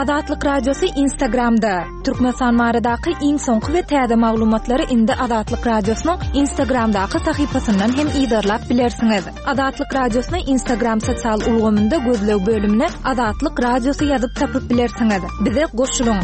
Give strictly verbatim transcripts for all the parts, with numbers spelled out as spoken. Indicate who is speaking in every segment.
Speaker 1: Azatlyk Radiosy Instagramda. Türkmenistan baradaky iň soňky we täze maglumatlary indi Azatlyk Radiosynyň Instagramdaky sahypasyndan hem yzarlap bilersiňiz. Azatlyk Radiosyny Instagram sosial ulgamynda gözleg bölümine Azatlyk Radiosy ýazyp tapyp bilersiňiz. Bize goşulyň.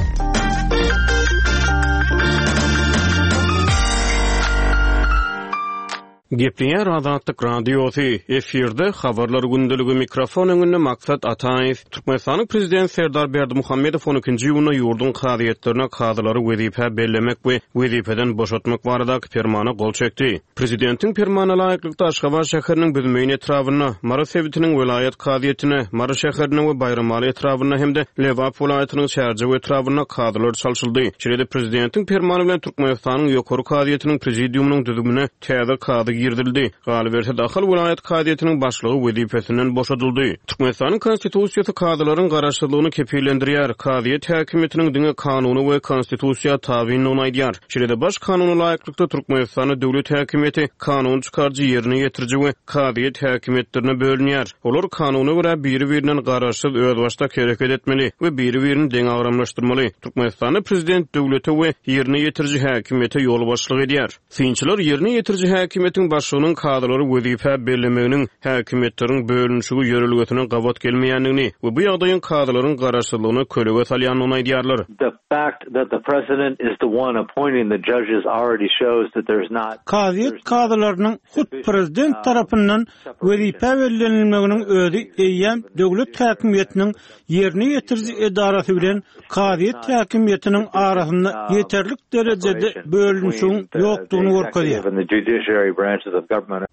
Speaker 2: Gepleýär Azatlyk Radiosy, efirde habarlar gündeligi mikrofon öňünde Maksat Ataýew. Türkmenistanyň Prezidenti Serdar Berdimuhamedow on ikinji iýunda ýurduň kazyýetlerine kazylary wezipä bellemek we wezipeden boşatmak baradaky permana gol çekdi. Prezidentiň permanyna laýyklykda Aşgabat şäheriniň Büzmeýin etrabynda, Mary sebitiniň welaýat kazyýetine, Mary şäherinde we Baýramaly etrabynda hem-de Lebap welaýatynyň Çärjew etrabynda kazylar çalşyldy. Şeýle-de prezidentiň permany bilen Türkmenistanyň Ýokary kazyýetiniň prezidiumynyň düzümine täze kazy girizildi. Galyberse-de Ahal welaýat kazyýetiniň başlygy wezipesinden boşadyldy. Türkmenistanyň Konstitusiýasy kazylaryň garaşsyzlygyny kepillendirýär. Kazyýet häkimiýetiniň diňe kanuny we konstitusiýa tabyndygyny aýdýar. Şeýle-de baş kanuna laýyklykda Türkmenistanda döwlet häkimiýeti kanun çykaryjy, ýerine ýetiriji we kazyýet häkimiýetlerine bölünýär. Olar kanuna görä biri-birinden garaşsyz özbaşdak hereket etmeli we biri-birini deňagramlaşdyrmaly. Türkmenistanda prezident döwlete we ýerine ýetiriji häkimiýete ýolbaşçylyk edýär. Synçylar ýerine ýetiriji häkimiýetiň başlygynyň kazylary wezipä bellemeginiň häkimiýetleriň bölünişigi ýörelgesine gabat gelmeýändigini we bu ýagdaýyň kazylaryň garaşsyzlygyna kölege salýandygyny aýdýarlar.
Speaker 3: The fact that the president is the one appointing the judges already shows that there's not
Speaker 4: Kazyýet kazylarynyň hut prezident tarapyndan wezipä bellenilmeginiň özi eýýäm döwlet häkimiýetiniň ýerine ýetiriji edarasy bilen kazyýet häkimiýetiniň arasynda ýeterlik derejede bölünişigiň ýokdugyny görkezýär.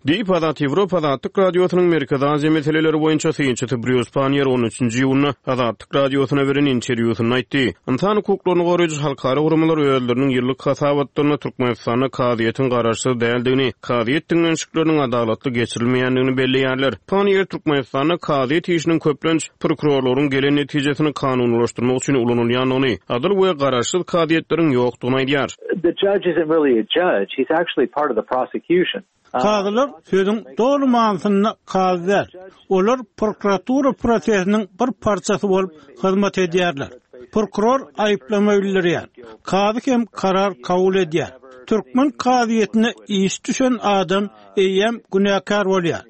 Speaker 2: Diýip Azat Ýewropa Azatlyk Radiosynyň Merkezi Aziýa meseleleri boýunça synçysy Brýus Panniýer on üçünji iýunda Azatlyk Radiosyna beren interwýusynda aýtdy. Ynsan hukuklaryny goraýjy halkara guramalar özleriniň ýyllyk hasabatlarynda Türkmenistanda kazyýetiň garaşsyz däldigini, kazyýet diňlenişikleriniň adalatly geçirilmeýändigini belleýärler. Panniýer Türkmenistanda kazyýet işiniň köplenç prokurorlaryň gelen netijesini kanunylaşdyrmak üçin ulanylýandygyny, adyl we garaşsyz kazyýetleriň ýokdugyny aýdýar.
Speaker 3: The judge isn't really a judge. He's actually part of the prosecution.
Speaker 4: Kazylar sözüň doly manysynda kazy däl. Olar prokuratura prosesiniň bir parçasy bolup hyzmat edýärler. Prokuror aýyplama bildirýär. Kazy hem karar kabul edýär. Türkmen kazyýetine iş düşen adam eýýäm günäkär bolýar.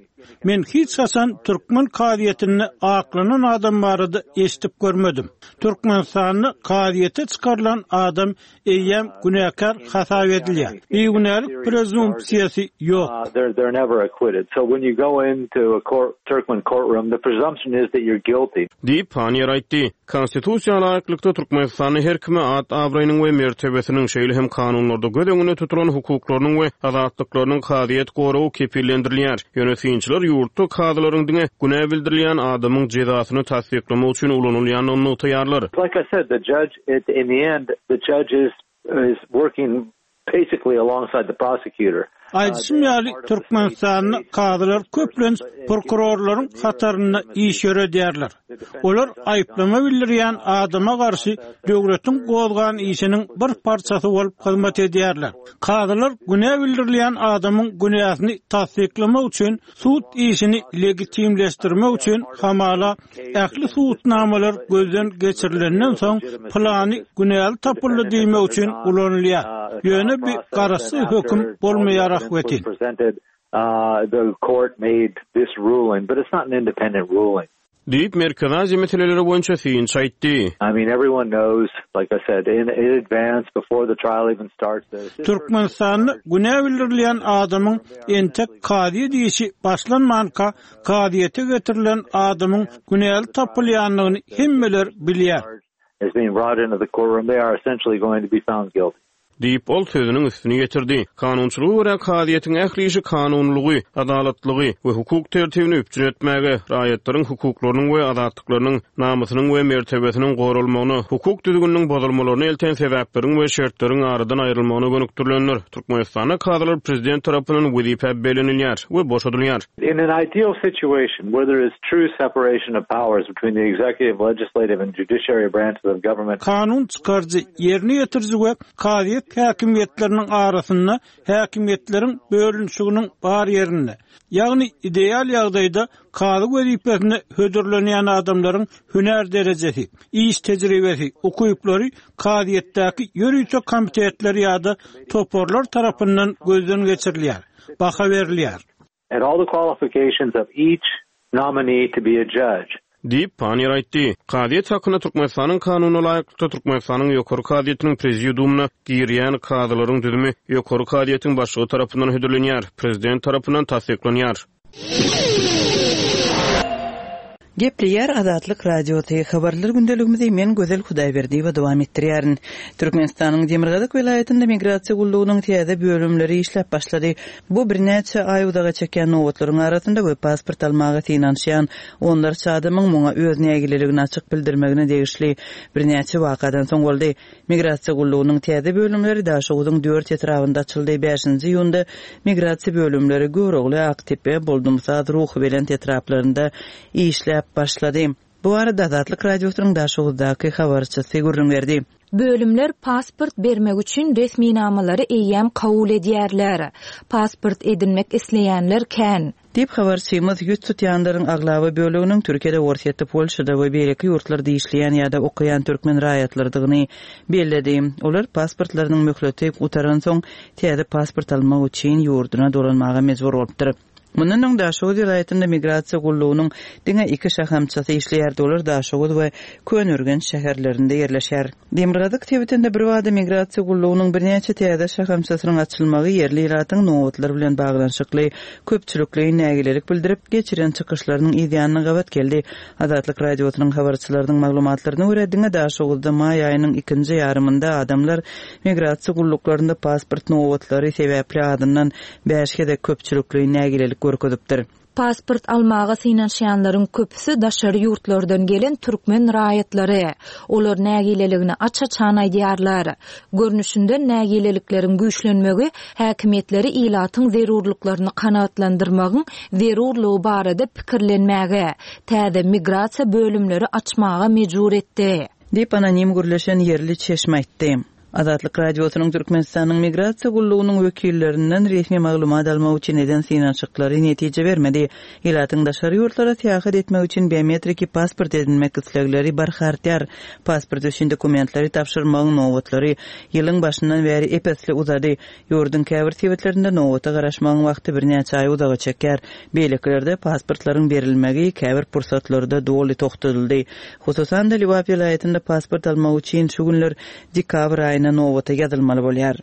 Speaker 4: Men hiç haçan türkmen kazyýetinde aklanan adam barada eşidip görmedim. Türkmenistanda kazyýete çykarylan adam eýýäm günäkär hasap edilýär. Bigünälik prezumpsiýasy ýok.
Speaker 3: Uh, they're, they're never acquitted. So when you go into a court, Turkmen courtroom, the presumption is that you're guilty.
Speaker 2: Diýip Panniýer aýtdy. Konstitusiýa laýyklykda Türkmenistanda her kime at abraýynyň we mertebesiniň, şeýle hem kanunlarda göz öňünde tutulan hukuklarynyň we azatlyklarynyň kazyýet goragy kepillendirilýär. Ýöne synçylar ýurtda kazylaryň diňe günä bildirilýän adamyň jezasyny tassyklamak üçin ulanylýandygyny nygtaýarlar.
Speaker 3: Like I said, the judge at in the end, the judge is, is working basically alongside the prosecutor.
Speaker 4: Aýdyşym ýaly Türkmenistanda kazylar köplenç prokurorlaryň hatarynda iş ýöredýärler. Olar aýyplama bildirýän adama garşy döwletiň gozgan işiniň bir parçasy bolup hyzmat edýärler. Kazylar günä bildirilýän adamyň günäsini tassyklamak üçin sud işini legitimleşdirmek üçin hamala ähli subutnamalar gözden geçirilenden soň plany günäli tapyldy diýmek üçin ulanylýar. Ýöne bir garaşsyz höküm bolmaýar ahbetin.
Speaker 3: Uh, the court made this ruling, but it's not an independent ruling.
Speaker 2: Diýip Merkezi Aziýa meseleleri boýunça synçy aýtdy.
Speaker 3: I mean, everyone knows, like I said, in, in advance, before the trial even starts.
Speaker 4: Türkmenistanda günä bildirilýän adamyň entek kazyýet işi başlanmanka kazyýete getirilen adamyň günäli tapylýandygyny hemmeler bilýär.
Speaker 3: Is being brought into the courtroom, they are essentially going to be found guilty.
Speaker 2: Diýip ol sözüniň üstüni ýetirdi. Kanunçylyga görä kazyýetiň ähli işi kanunylygy, adalatlygy we hukuk tertibini üpjün etmäge, raýatlaryň hukuklarynyň we azatlyklarynyň, namysynyň we mertebesiniň goralmagyna, hukuk düzgüniniň bozulmalaryna elten sebäpleriň we şertleriň aradan aýrylmagyna gönükdirilendir. Türkmenistanda kazylar prezident tarapyndan wezipä bellenilýär we boşadylýar.
Speaker 3: In an ideal situation where there is true separation of powers between the executive, legislative and judiciary branches of government.
Speaker 4: Kanun çykaryjy, ýerine ýetiriji we kazyýet häkimiýetleriniň arasynda häkimiýetleriň bölünişiginiň bar ýerinde, ýagny ideal ýagdaýda kazy wezipesine hödürlenýän adamlaryň hünär derejesi, iş tejribesi, ukyplary kazyýetdäki ýörite komitetler ýa-da toparlar tarapyndan gözden geçirilýär, baha berilýär.
Speaker 3: And all the qualifications of each nominee to be a judge.
Speaker 2: Diýip, Panniýer aýtdy. Kazyýet hakynda Türkmenistanyň Kanunyna laýyklykda Türkmenistanyň Ýokary kazyýetiniň prezidiumyna girýän kazylaryň düzümi Ýokary kazyýetiň başlygy tarapyndan hödürlenýär, prezident tarapyndan tassyklanýar.
Speaker 5: Gepleýär Azatlyk Radiosy, Habarlar gündeligimizi men Gözel Hudaýberdiýewa dowam etdirýärin. Türkmenistanyň Demirgazyk welaýatynda migrasiýa gullugynyň täze bölümleri işläp başlady. Bu birnäçe aý uzaga çekýän nobatlaryň arasynda we pasport almaga synanyşýan onlarça adamyň muňa öz nägileligini açyk bildirmegine degişli birnäçe wakadan soň boldy. Migrasiýa gullugynyň täze bölümleri Daşoguzyň dört etrabynda açyldy. Bäşinji iýunda migrasiýa bölümleri Görogly, Aktepe, Boldumsaz, Ruhubelent etraplarynda işläp başlady. Bu barada Azatlyk Radiosynyň Daşoguzdaky habarçysy gürrüň berdi.
Speaker 1: Bölümler pasport bermek üçin resminamalary eýýäm kabul edýärler. Pasport edinmek isleýänler kän.
Speaker 5: Diýip, habarçymyz ýüz tutýanlaryň aglaba böleginiň Türkiýede, Orsýetde, Polşada we beýleki ýurtlarda işleýän ýa-da okaýan türkmen raýatlarydygyny belledi. Olar pasportlarynyň möhleti gutaransoň täze pasport almak üçin ýurduna dolanmaga mejbur bolupdyr. Mundan öň Daşoguz welaýatynda migrasiýa gullugynyň diňe iki şahamçasy işleýärdi, olar Daşoguz we Köneürgenç şäherlerinde ýerleşýär. Demirgazyk sebitinde birbada migrasiýa gullugynyň birnäçe täze şahamçasynyň açylmagy ýerli ilatyň nobatlar bilen baglanyşykly köpçülikleýin nägilelik bildirip geçiren çykyşlarynyň yz ýanyna gabat geldi. Azatlyk Radiosynyň habarçylarynyň maglumatlaryna görä, diňe Daşoguzda maý aýynyň ikinji ýarymynda adamlar migrasiýa gulluklarynda pasport nobatlary sebäpli azyndan bäş gezek köpçülikleýin nägilelik görkezipdir.
Speaker 1: Pasport almaga synanyşýanlaryň köpüsi daşary ýurtlardan gelen türkmen raýatlary. Olar nägileligini aç-açan aýdýarlar. Görnüşinden nägilelikleriň güýçlenmegi häkimiýetleri ilatyň zerurlyklaryny kanagatlandyrmagyň zerurlygy barada pikirlenmäge, täze migrasiýa bölümleri açmaga mejbur etdi.
Speaker 5: Diýip, anonim gürleşen ýerli çeşme aýtdy. Azatlyk Radiosynyň Türkmenistanyň Migrasiýa gullugynyň wekillerinden resmi maglumat almak üçin eden synanyşyklary netije bermedi. Ilatyň daşary ýurtlara syýahat etmek üçin biometriki pasport edinmek islegleri barha artýar. Pasport üçin dokumentleri tabşyrmagyň nobatlary ýylyň başyndan bäri ep-esli uzady. Ýurduň käbir sebitlerinde nobata garaşmagyň wagty birnäçe aý uzaga çekýär. Beýlekilerde pasportlaryň berilmegi käbir pursatlarda doly togtadyldy. Hususan-da, Lebap welaýatynda pasport almak üçin şu günler dekabr aýyna nobata ýazylmaly bolýar.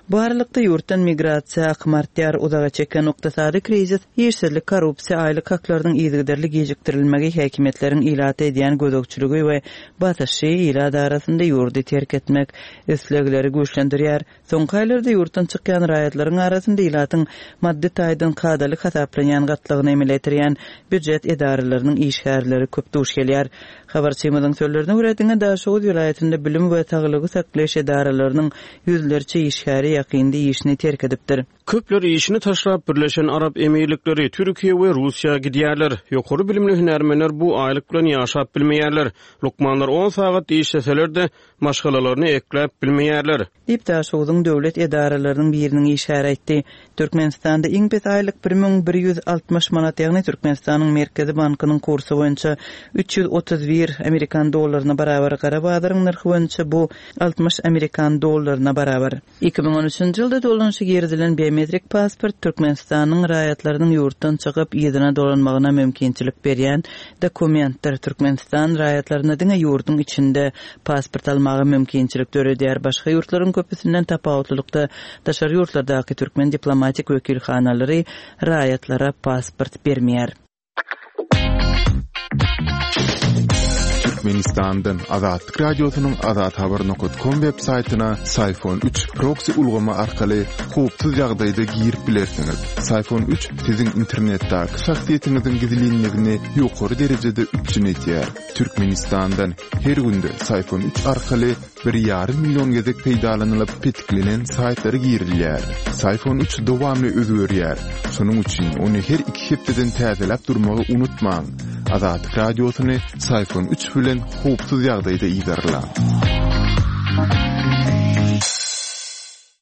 Speaker 5: Bu aralykda ýurtdan migrasiýa akymy artýar, uzaga çeken ykdysady krizis, işsizlik, korrupsiýa, aýlyk haklarynyň yzygiderli gijikdirilmegi, häkimiýetleriň ilata edýän gözegçiligi we basyşy ilat arasynda ýurdy terk etmek islegleri güýçlendirýär. Soňky aýlarda ýurtdan çykýan raýatlaryň arasynda ilatyň maddy taýdan kadaly hasaplanýan gatlagyny emele getirýän býujet edaralarynyň işgärleri köp duş gelýär. Habarçymyzyň sözlerine görä, diňe Daşoguz welaýatynda bilim we saglygy saklaýyş edaralarynyň ýüzlerçe işgäri ýakynda işini terk edipdir.
Speaker 2: Köpler işini taşlap Birleşen Arap Emirlikleri, Türkiýe we Russiýa gidýärler. Ýokary bilimli hünärmenler bu aýlyk bilen ýaşap bilmeýärler. Lukmanlar on sagat işleseler-de, maşgalalaryny ekläp bilmeýärler.
Speaker 5: Diýip, Daşogzuň döwlet edaralarynyň biriniň işgäri aýtdy. Türkmenistanda iň pes aýlyk bir müň bir ýüz altmyş manat, ýagny Türkmenistanyň Merkezi bankynyň kursy boýunça üç ýüz otuz bir amerikan dollaryna barabar, gara bazaryň nyrhy boýunça bu altmyş amerikan dollaryna barabar. Iki müň on üçünji ýylda dolanyşa girizilen biometrik pasport Türkmenistanyň raýatlarynyň ýurtdan çykyp, yzyna dolanmagyna mümkinçilik berýän dokumentdir. Türkmenistan raýatlaryna diňe ýurduň içinde pasport almaga mümkinçilik döredýär. Başga ýurtlaryň köpüsinden tapawutlylykda daşary ýurtlardaky türkmen diplomatik wekilhanalary raýatlara pasport bermeýär.
Speaker 6: Türkmenistandan Azatlyk Radiosynyň azathabar nokta com web saýtyna Syfon üç proksi ulgamy arkaly howpsuz ýagdaýda girip bilersiňiz. Syfon üç siziň internetdäki şahsyýetiňiziň gizlinligini ýokary derejede üpjün edýär. Türkmenistandan her günde Syfon üç arkaly bir ýarym million gezek peýdalanylyp petiklenen saýtlara girilýär. Syfon üç dowamly özgerýär. Şonuň üçin ony her iki hepdeden täzeläp durmagy unutmaň. Azatlyk Radiosyny Syfon üç bilen howpsuz ýagdaýda yzarlaň.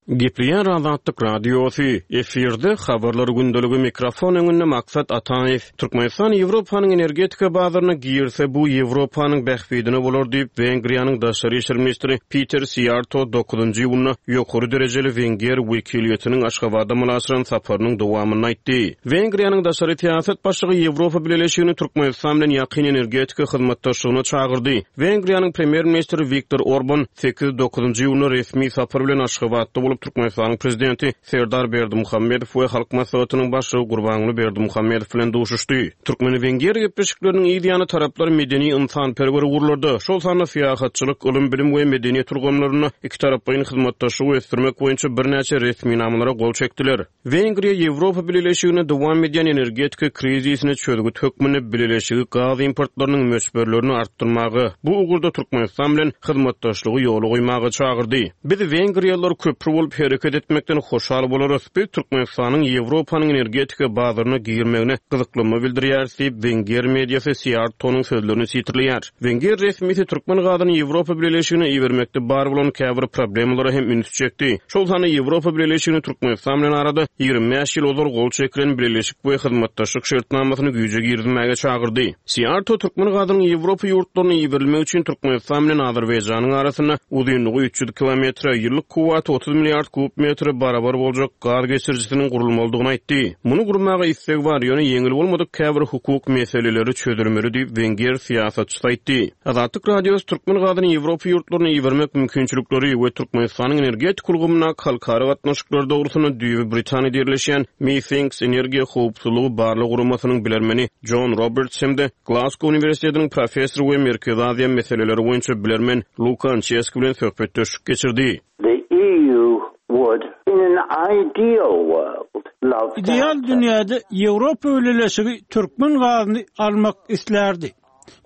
Speaker 2: Gepleýär Azatlyk Radiosy, efirde habarlar gündeligi mikrofon öňünde Maksat Ataýew. Türkmenistan Ýewropanyň energetika bazaryna girse bu Ýewropanyň bähbidine bolar diýip Wengriýanyň daşary işler ministri Peter Siýarto dokuzynjy iýunda ýokary derejeli Wenger wekiliýetiniň Aşgabatda amala saparynyň dowamynda aýtdy. Wengriýanyň daşary syýasat başlygy Ýewropa Bileleşigini Türkmenistan bilen ýakyn energetika hyzmatdaşlygyna çagyrdy. Wengriýanyň premýer ministri Viktor Orban sekiz dokuzynjy iýunda resmi sapar bilen Aşgabatda bolup Türkmenistanyň prezidenti Serdar Berdimuhamedow we Halk Maslahatynyň başlygy Gurbanguly Berdimuhamedow bilen duşuşdy. Türkmen-Wenger gepleşikleriniň ýany taraplar medeni insanperwer ugurlarda, şol sanda syýahatçylyk, ylym, bilim we medeniýet ulgamlarynda iki taraplaýyn hyzmatdaşlygy ösdürmek boýunça birnäçe resminamalara gol çekdiler. Wengriýa Ýewropa Bileleşigine dowam edýän energetika krizisine çözgüt hökmünde bileleşigi gaz importlarynyň möçberlerini artdyrmagy, bu ugurda Türkmenistan bilen hyzmatdaşlygy ýola goýmaga çagyrdy. Biz Wengriýalylar köpri bolup hereket etmekden hoşal bolarys. Biz Türkmenistanyň Ýewropanyň energetika bazaryna girmegine gyzyklanma bildirýäris diýip Wenger mediasy Siýartonyň sözlerini sitirleýär. Wenger resmisi türkmen gazyny Ýewropa Bileleşigine ibermekde bar bolan käbir problemalara hem üns çekdi. Şol sanda Ýewropa Bileleşigini Türkmenistan bilen arada ýigrimi bäş ýyl ozal gol çekilen bileleşik we hyzmatdaşlyk şertnamasyny güýje girizmäge çagyrdy. Siýarto türkmen gazynyň Ýewropa ýurtlaryna iberilmegi üçin Türkmenistan bilen Azerbaýjanyň arasynda uzynlygy üç ýüz kilometre, ýyllyk kuwwaty otuz milliard kub metre barabar boljak gaz geçirijisiniň gurulmalydygyny aýtdy. Muny gurmaga isleg bar, ýöne ýeňil bolmadyk käbir hukuk meseleleri çözülmeli diýip Wenger syýasatçysy aýtdy. Azatlyk Radiosy türkmen gazyny Ýewropa ýurtlaryna ibermek mümkinçilikleri we Türkmenistanyň energetik ulgamyndaky halkara gatnaşyklary dogrusynda düýbi Britaniýada ýerleşýän Methinks energiýa howpsuzlygy barlag guramasynyň bilermeni John Roberts hem-de Glasgow Uniwersitetiniň professory we Merkezi Aziýa meseleleri boýunça bilermen Luka Ançeski bilen söhbetdeşlik geçirdi.
Speaker 7: The E U would, in an ideal world, love to
Speaker 4: Ideal dünýäde Ýewropa Bileleşigi türkmen gazyny almak isterdi.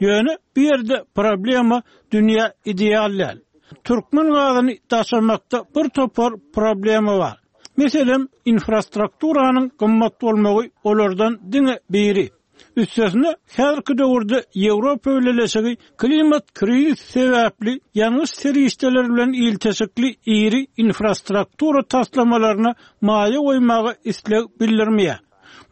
Speaker 4: Ýöne bu ýerde problema dünýä ideal däl. Türkmen gazyny daşamakda bir topar problema bar. Meselem, infrastrukturanyň gymmat bolmagy olardan diňe biri. Üstesine, häzirki döwürde Ýewropa Bileleşigi klimat krizisi sebäpli ýangyç serişdeleri bilen ilteşikli iri infrastruktura taslamalaryna maýa goýmaga isleg bildirmeýär.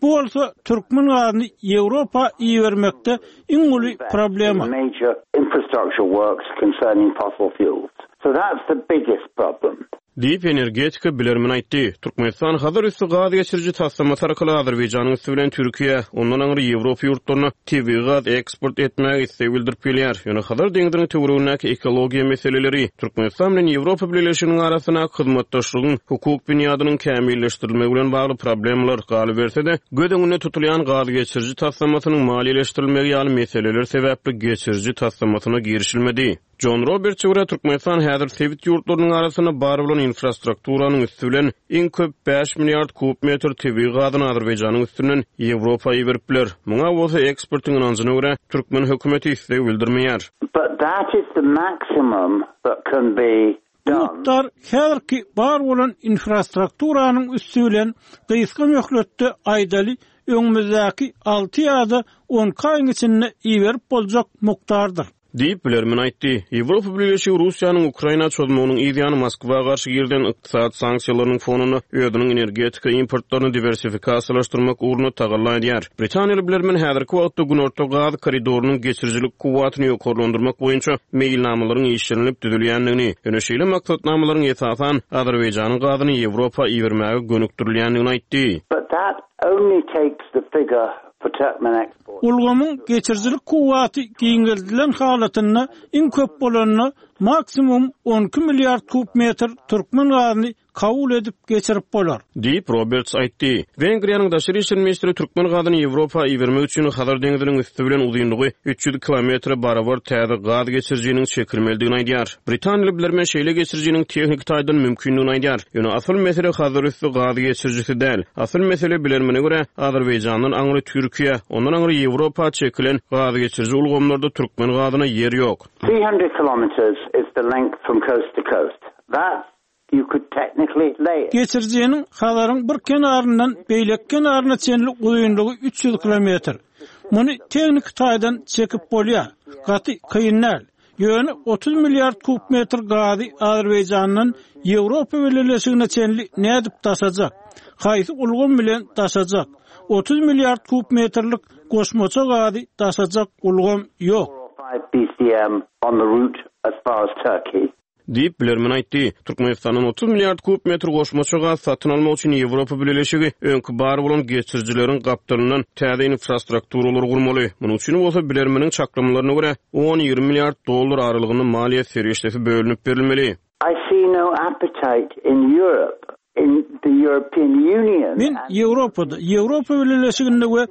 Speaker 4: Bu bolsa türkmen gazyny Ýewropa ibermekde iň uly problema.
Speaker 7: Major infrastructure works concerning fossil fuels. So that's the biggest problem.
Speaker 2: Diýip energetika bilermen aýtdy. Türkmenistan Hazar üstü gaz geçiriji taslamasy arkaly Azerbaýjanyň üstü bilen Türkiýe, ondan aňry Ýewropa ýurtlaryna tebigy gaz eksport etmäge isleg bildirip gelýär. Ýöne Hazar deňziniň töweregindäki ekologiýa meseleleri Türkmenistan bilen Ýewropa Bileleşiginiň arasyndaky hyzmatdaşlygyň hukuk binýadynyň kämilleşdirilmegi bilen bagly problemalar galyberse-de, göz öňünde tutulýan gaz geçiriji taslamasynyň maliýeleşdirilmegi ýaly meseleler sebäpli geçiriji taslamasyna girişilmedi. John Roberts görä Türkmenistan häzir sebit ýurtlarynyň arasynda bar bolan infrastrukturanyň üstü bilen iň köp bäş milliard kub metr tebigy gazyny Azerbaýjanyň üstünden Ýewropa iberip biler. Muňa bolsa ekspertiň ynanjyna görä türkmen hökümeti isleg bildirmeýär.
Speaker 7: But that is the maximum that can be
Speaker 4: Bu
Speaker 7: done.
Speaker 4: mukdar häzirki bar bolan infrastrukturanyň üstü bilen gysga möhletde aýdaly öňümizdäki alty ýa-da on aýyň içinde iberip boljak mukdardyr.
Speaker 2: Diýip bilermen aýtdy. Ýewropa Bileleşigi Russiýanyň Ukraina çozmagynyň ýany Moskwa garşy girden ykdysady sanksiýalarynyň fonunda özüniň energetika importlaryny diwersifikasiýalaşdyrmak ugrunda tagalla edýär. Britaniýaly bilermen häzirki wagtda Günorta gaz koridorynyň geçirijilik kuwwatyny ýokarlandyrmak boýunça meýilnamalaryň işlenilip düzülýändigini, ýöne şeýle maksatnamalaryň esasan Azerbaýjanyň gazyny Ýewropa ibermäge gönükdirilýändigini aýtdy.
Speaker 7: But that only takes the figure for Turkmen export.
Speaker 4: Ulgamyň geçirijilik kuwwaty giňeldilen halatynda iň köp bolanyna maksimum on iki milliard kub metr türkmen gazyny kabul edip geçirip bolar.
Speaker 2: Diýip Roberts aýtdy. Wengriýanyň daşary işler ministri türkmen gazyny Ýewropa ibermek üçin Hazar deňziniň üstü bilen uzynlygy üç ýüz kilometre barabar täze gaz geçirijiniň çekilmelidigini aýdýar. Britaniýaly bilermen şeýle geçirijiniň tehniki taýdan mümkindigini aýdýar. Ýöne asyl mesele Hazar üstü gaz geçirijisi däl. Asyl mesele bilermene görä Azerbaýjandan aňry Türkiýe, ondan aňry Ýewropa çekilen gaz geçiriji ulgamlarda türkmen gazyna ýer ýok.
Speaker 7: Three hundred kilometers is the length from coast to coast. That you could technically lay it.
Speaker 4: Geçirijiniň Hazaryň bir kenaryndan beýleki kenaryna çenli uzynlygy üç ýüz kilometr. Muny tehniki taýdan çekip bolýar. Gaty kyn däl. Ýöne otuz milliard kub metr gazy Azerbaýjandan Ýewropa Bileleşigine çenli nädip daşajak? Haýsy ulgam bilen daşajak? otuz milliard kub metrlik goşmaça gazy daşajak ulgam ýok.
Speaker 7: B C M on the route as far as Turkey.
Speaker 2: Diýip, bilermen aýtdy. Türkmenistandan otuz milliard kub metr goşmaça gaz satyn almak üçin Ýewropa Bileleşigi öňki bar bolan geçirijileriň gapdalyndan täze infrastrukturalary gurmaly. Munuň üçin bolsa bilermeniň çaklamalaryna görä on-ýigrimi milliard dollar aralygynda maliýe serişdesi bölünip berilmeli.
Speaker 7: I see no appetite in Europe, in the European Union.
Speaker 4: Men Ýewropada, Ýewropa Bileleşiginde we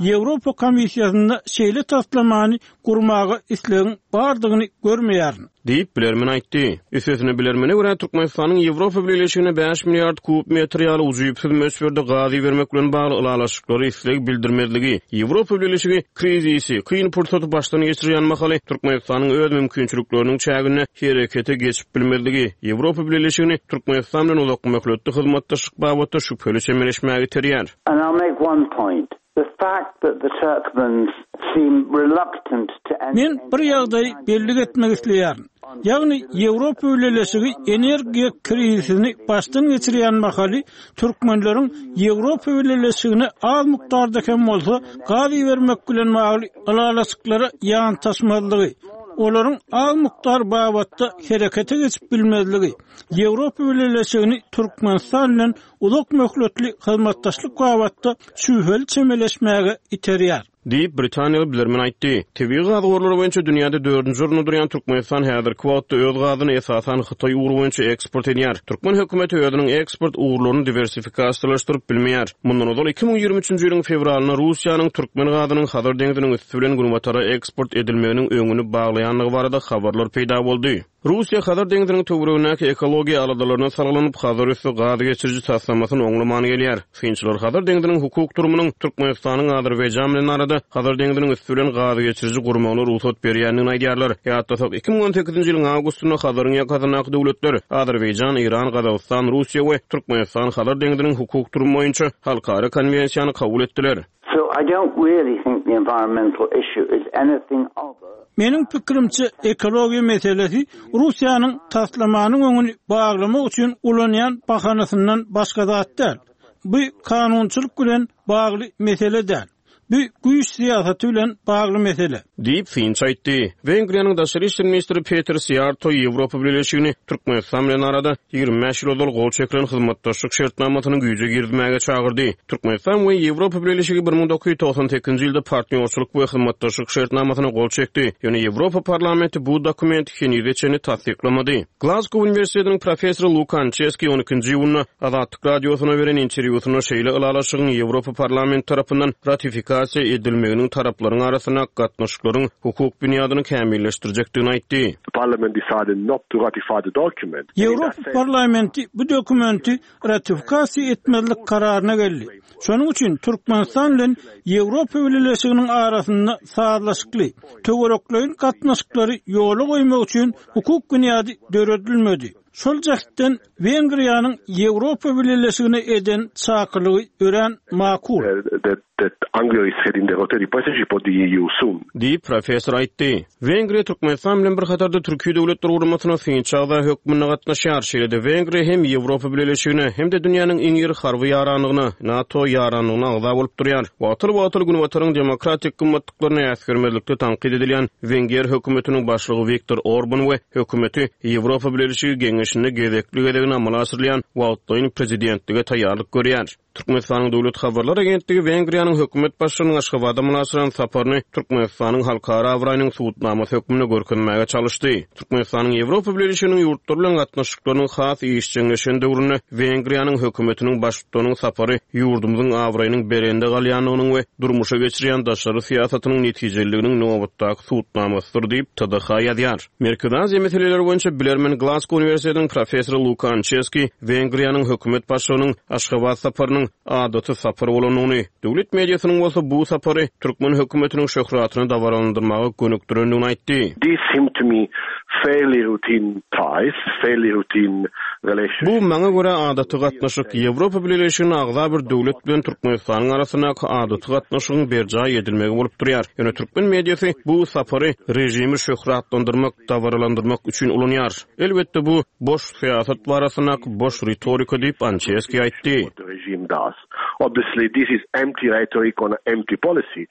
Speaker 4: Ýewropa Komissiýasynda şeýle taslamany gurmaga islegiň bardygyny görmeýärin.
Speaker 2: Diýip, bilermen aýtdy. Üstesine bilermene görä Türkmenistanyň Ýewropa Bileleşigine bäş milliard kub metr ýaly ujypsyz möçberde gaz ibermek bilen bagly ylalaşyklary isleg bildirmezligi, Ýewropa Bileleşigi krizisi, kyn pursaty başdan geçirýän mahaly Türkmenistanyň öz mümkinçilikleriniň çäginde herekete geçip bilmezligi, Ýewropa Bileleşigini Türkmenistan bilen uzak möhletli hyzmatdaşlyk babatda şübheli çemeleşmäge iterýär.
Speaker 7: And I'll make one point. The fact that the Turkmens seem reluctant to enter
Speaker 4: Men bir ýagdaýy bellik etmek isleýärin. Ýagny Ýewropa Bileleşigi energiýa krizisini başdan geçirýän mahaly türkmenleriň Ýewropa Bileleşigine az mukdarda hem bolsa gaz ibermek bilen bagly ylalaşyklara ýantaşmazlygy, olaryň az mukdar babatda herekete geçip bilmezligi, Ýewropa Bileleşigini Türkmenistan bilen uzak möhletli hyzmatdaşlyk babatda şübheli çemeleşmäge iterýär.
Speaker 2: Diýip, Britaniýaly bilermen aýtdy. Tebigy gaz gorlary boýunça dünýäde dördünji orunda durýan Türkmenistan häzirki wagtda öz gazyny esasan Hytaý ugry boýunça eksport edýär. Türkmen hökümeti özüniň eksport ugurlaryny diwersifikasiýalaşdyryp bilmeýär. Mundan ozal iki müň ýigrimi üçünji ýylyň fewralynda Russiýanyň türkmen gazynyň Hazar deňziniň üsti bilen günbatara eksport edilmeginiň öňüni baglaýandygy barada habarlar peýda boldy. Russiýa Hazar deňziniň töweregindäki ekologiýa aladalaryna salgylanyp, Hazar üsti gaz geçiriji taslamasyny oňlaman gelýär. Synçylar Hazar deňziniň hukuk durumynyň Türkmenistanyň Azerbaýjan bilen arada Hazar deňziniň üsti bilen gaz geçiriji gurmagyna rugsat berýändigini aýdýarlar. Ýatlasak, iki müň on sekizinji ýylyň awgustynda Hazaryň ýakasyndaky döwletler Azerbaýjan, Eýran, Gazagystan, Russiýa we Türkmenistan Hazar deňziniň hukuk durumy boýunça halkara konwensiýany kabul etdiler.
Speaker 7: So I don't really think the environmental issue is anything other.
Speaker 4: Meniň pikirimçe ekologiýa meselesi Russiýanyň taslamanyň öňüni baglamak üçin ulanýan bahanasyndan başga zat däl. Bu kanunçylyk bilen bagly mesele däl. Bu güýç syýasaty bilen bagly mesele.
Speaker 2: Diýip synçy aýtdy. Wengriýanyň daşary işler ministri Peter Siýarto Ýewropa Bileleşigini Türkmenistan bilen arada ýigrimi bäş ýyl ozal gol çekilen hyzmatdaşlyk şertnamasynyň güýje girizmäge çagyrdy. Türkmenistan we Ýewropa Bileleşigi bir müň dokuz ýüz togsan sekizinji ýylda partnýorçylyk we hyzmatdaşlyk şertnamasyna gol çekdi. Ýöne Ýewropa parlamenti bu dokumenti henize çenli tassyklamady. Glasgow Uniwersitetiniň professory Luka Ançeski on ikinji iýunda Azatlyk radiosyna beren interwýusynda şeýle ylalaşygyň Ýewropa parlamenti tarapyndan ratifikasiýa edilmeginiň taraplaryň arasynda gatnaşyklaryň hukuk binýadyny kämilleşdirjekdigini aýtdy.
Speaker 8: The parliament decided not to ratify the document.
Speaker 4: Ýewropa parlamenti bu dokumenti ratifikasiýa etmezlik kararyna geldi. Şonuň üçin Türkmenistan bilen Ýewropa Bileleşiginiň arasynda sazlaşykly, töwerekleýin gatnaşyklary ýola goýmak üçin hukuk binýady döredilmedi. Şol jähtden Wengriýanyň Ýewropa Bileleşigine eden çakylygy örän makul.
Speaker 8: That, that Hungary is heading the Rotary Presidency for the E U soon.
Speaker 2: Diýip professor aýtdy. Wengriýa Türkmenistan bilen bir hatarda Türkiýe Döwletler Guramasyna synçy agza hökmünde gatnaşýar. Şeýle-de Wengriýa hem Ýewropa Bileleşigine hem-de dünýäniň iň iri harby ýaranlygyna, NATO ýaranlygyna agza bolup durýar. Wagtal-wagtal Günbataryň demokratik gymmatlyklaryny äsgermezlikde tankyt edilýän Wenger hökümetiniň başlygy Viktor Orban we hökümeti Ýewropa Bileleşigi geňeşinde gezekli gezegine amala aşyrylýan wagtlaýyn prezidentlige taýýarlyk görýär. Türkmenistanyň Döwlet Habarlar Agentligi Wengriýanyň hökümet başlygynyň Aşgabada amala aşyran saparyny Türkmenistanyň halkara abraýynyň subutnamasy hökmünde görkezmäge çalyşdy. Türkmenistanyň Ýewropa Bileleşiginiň ýurtlary bilen gatnaşyklarynyň has işjeňleşen döwründe Wengriýanyň hökümetiniň baştutanynyň sapary ýurdumyzyň abraýynyň belende galýandygynyň we durmuşa geçirýän daşary syýasatynyň netijeliliginiň nobatdaky subutnamasydyr diýip T D H ýazýar. Merkezi Aziýa meseleleri boýunça bilermen Glasgow Uniwersitetiniň professory Luka Ançeski Wengriýanyň hökümet başlygynyň Aşgabat saparynyň adaty sapar bolandygyny, döwlet mediasynyň bolsa bu sapary türkmen hökümetiniň şöhratyny dabaralandyrmaga gönükdirendigini aýtdy.
Speaker 8: This seemed to me fairly routine ties, fairly routine relations.
Speaker 2: Bu maňa görä adaty gatnaşyk Ýewropa Bileleşigine agza bir döwlet bilen Türkmenistanyň arasyndaky adaty gatnaşygyň berjaý edilmegi bolup durýar. Ýöne türkmen mediasy bu sapary režimi şöhratlandyrmak, dabaralandyrmak üçin ulanýar. Elbetde bu boş syýasat barasyndaky boş ritorika diýip Ançeski aýtdy.
Speaker 8: What the regime does. Obviously, this is empty rhetoric on empty policy.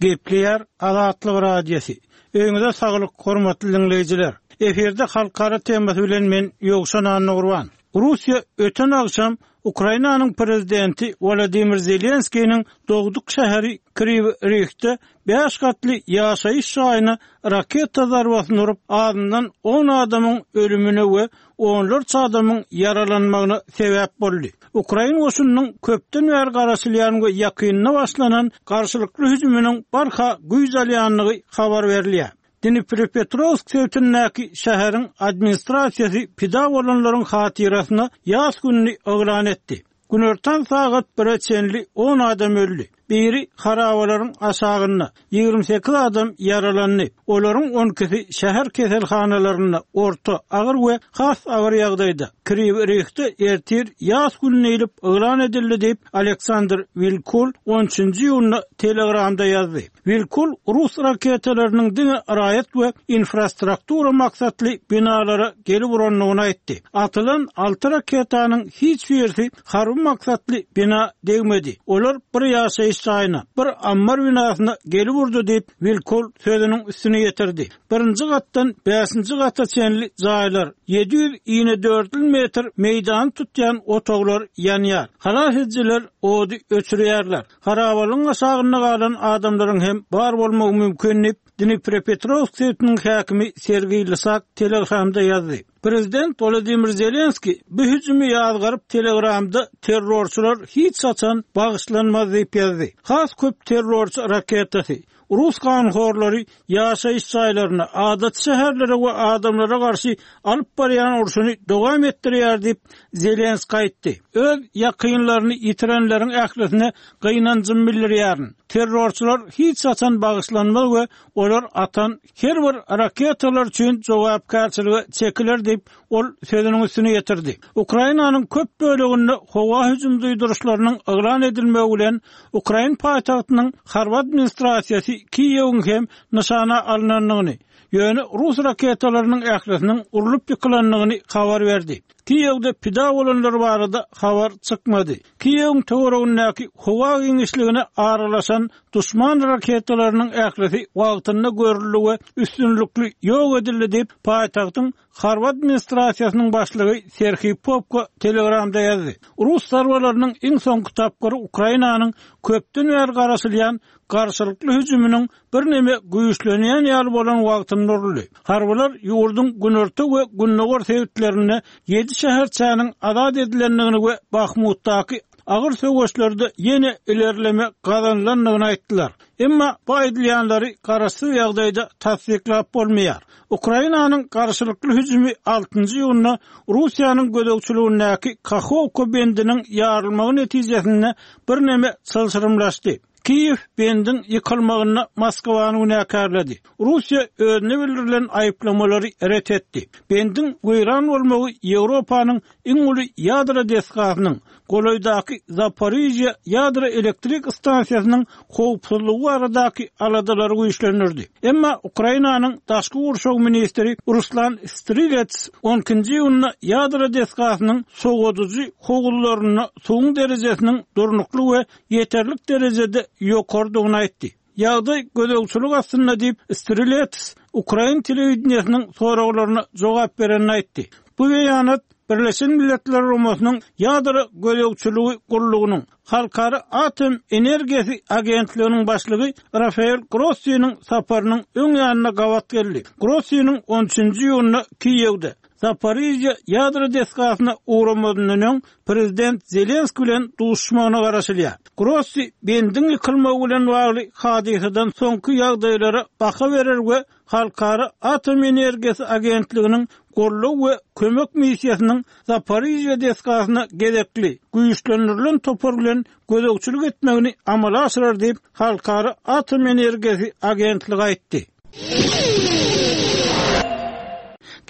Speaker 4: Gepleýär Azatlyk Radiosy. Öýüňize saglyk, hormatly dinleýjiler. Efirde halkara temasy bilen men Ýowşan Annagurban. Russiýa öten agşam Ukrainanyň prezidenti Wladimir Zelenskiniň dogduk şäheri Kriw Rihde bäş gatly ýaşaýyş jaýyna raketa zarbasyny urup, azyndan on adamyň ölümine we onlarça adamyň ýaralanmagyna sebäp boldy. Ukrain goşunynyň köpden bäri garaşylýan we ýakynda başlanan garşylykly hüjüminiň barha güýç alýandygy habar berilýär. Dnipropetrovsk sebitindäki şäheriň administrasiýasy pida bolanlaryň hatyrasyna ýas gününi yglan etdi. Günortan sagat bire çenli on adam öldi. Biri harabalaryň aşagynda, ýigrimi sekiz adam ýaralandy. Olaryň on ikisi şäher keselhanalarynda orta, agyr we has agyr ýagdaýda. Kriw Rihde ertir ýas gününi diýlip yglan edildi diýip Aleksandr Wilkul on üçünji iýunda Telegramda ýazdy. Wilkul rus raketalarynyň diňe raýat we infrastruktura maksatly binalara gelip urandygyny aýtdy. Atylan alty raketanyň hiç birisi harby maksatly bina degmedi. Olar bir ýaşaýyş jaýyna, bir ammar binasyna gelip urdy diýip Wilkul sözüniň üstüne ýetirdi. Birinji gatdan bäşinji gata çenli jaýlar, ýedi ýüz ýigrimi dört metr meýdany tutýan otaglar ýanýar. Halas edijiler ody öçürýärler. Harabalyň aşagynda galan adamlaryň hem bar bolmagy mümkin diýip Dnipropetrovsk sebitiniň häkimi Sergeý Lysak Telegramda ýazdy. Prezident Wladimir Zelenski bu hüjümi ýazgaryp Telegramda terrorçylar hiç haçan bagyşlanmaz diýip ýazdy. Has köp terrorçy raketasy Rus ganhorlary ýaşaýyş jaýlaryna, adaty şäherlere we adamlara garşy alyp barýan urşuny dowam etdirýär diýip Zelenski aýtdy. Öz ýakynlaryny ýitirenleriň ählisine gynanjym bildirýärin. Terrorçylar hiç haçan bagyşlanmaz we olar atan her bir raketalar üçin jogapkärçilige çekiler diýip ol sözüniň üstüne ýetirdi. Ukrainanyň köp böleginde howa hüjüm duýduryşlarynyň yglan edilmegi bilen Ukrain paýtagtynyň harby administrasiýasy Kiýewiň hem nyşana alynandygyny, ýöne rus raketalarynyň ählisiniň urlup ýykylandygyny habar berdi. Kiýewde pida bolanlar barada habar çykmady. Kiýewiň töweregindäki howa giňişligine aralaşan düşman raketalarynyň ählisi wagtynda görüldi we üstünlikli ýok edildi diýip paýtagtyň harby administrasiýasynyň başlygy Serhiý Popko Telegramda ýazdy. Rus zarbalarynyň iň soňky tapgyry Ukrainanyň köpden bäri garaşylýan garşylykly hüjüminiň birneme güýçlenýän ýaly bolan wagtynda uruldy. Harbylar ýurduň günorta we gündogar sebitlerinde ýedi şäherçäniň azat edilendigini we Bahmutdaky agyr söweşlerde ýene ilerleme gazanylandygyny aýtdylar. Emma bu aýdylýanlary garaşsyz ýagdaýda tassyklap bolmaýar. Ukrainanyň garşylykly hüjümi altynjy iýunda Russiýanyň gözegçiligindäki Kahovka bendiniň ýarylmagy netijesinde birneme çylşyrymlaşdy. Kiýew bendiň ýykylmagyna Moskwany günäkärledi. Russiýa özüne bildirilen aýyplamalary ret etdi. Bendiň weýran bolmagy Ýewropanyň iň uly ýadro desgasynyň golaýdaky Zaporizhýa ýadro elektrik stansiýasynyň howpsuzlygy baradaky aladalary güýçlendirdi. Emma Ukrainanyň daşky gurşaw ministri Ruslan Strilets on ikinji iýunda ýadro desgasynyň sowadyjy howuzlarynda suwuň derejesiniň durnukly we ýeterlik derejede ýokardygyny aýtdy. Ýagdaý gözegçilik astynda diýip Strilets Ukrain telewideniýesiniň soraglaryna jogap berenini aýtdy. Bu beýanat Birleşen Milletler Guramasynyň ýadro gözegçiligi gurlugynyň Halkara Atom Energiýasy Agentliginiň başlygy Rafael Grossiniň saparynyň öň ýanyna gabat geldi. Grossiniň on üçünji iýunda Kiýewde Zaporizhýa ýadro desgasyna ugramadyndan öň prezident Zelenski bilen duşmagyna garaşylýar. Grossi bendiň ýykylmagy bilen bagly hadysadan soňky ýagdaýlara baha berer we Halkara Atom Energiýasy Agentliginiň goldaw we kömek missiýasynyň Zaporizhýa desgasyna gezekli güýçlendirilen topar bilen gözegçilik etmegini amala aşyrar diýip Halkara Atom Energiýasy Agentligi aýtdy.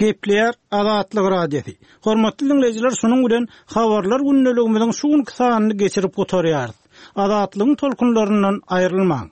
Speaker 4: Gepleýär Azatlyk Radiosy. Hormatly diňleýjiler, şunuň bilen habarlar gündeligimiziň şu günki sanyny geçirip gutarýarys. Azatlygyň tolkunlaryndan aýrylmaň.